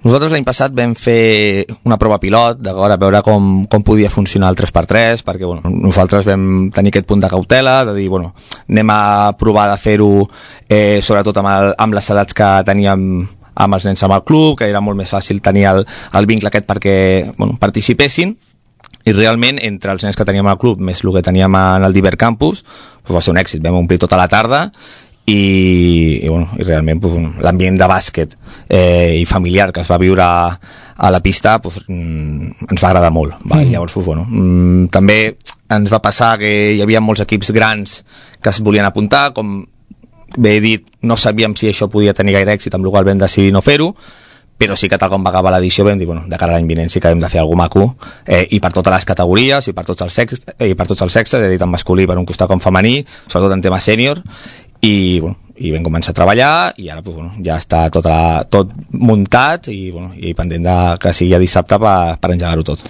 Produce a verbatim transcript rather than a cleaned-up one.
Nosaltres l'any passat vam fer una prova pilot, d'acord, a veure com, com podia funcionar el tres per tres, perquè bueno, nosaltres vam tenir aquest punt de cautela, de dir, bueno, anem a provar de fer-ho eh, sobretot amb, el, amb les edats que teníem amb els nens amb el club, que era molt més fàcil tenir el, el vincle aquest perquè bueno, participessin, i realment entre els nens que teníem al club més el que teníem en el Diver Campus doncs va ser un èxit, vam omplir tota la tarda i, i, bueno, i realment pues, l'ambient de bàsquet eh, i familiar que es va viure a, a la pista pues, mm, ens va agradar molt. Va? Mm. Llavors, pues, bueno, mm, també ens va passar que hi havia molts equips grans que es volien apuntar, com bé he dit, no sabíem si això podia tenir gaire èxit, amb la qual vam decidir no fer-ho, però sí que tal com va acabar l'edició vam dir, bueno, de cara a l'any vinent sí que hem de fer alguna maco, eh, i per totes les categories, i per tots els sexes, eh, i per tots els sexes, he dit tant masculí per un costat com femení, sobretot en tema sènior, i, bueno, i vam començar a treballar, i ara pues, bueno, ja està tot, la, tot muntat, i, bueno, i pendent de que sigui dissabte per, per engegar-ho tot.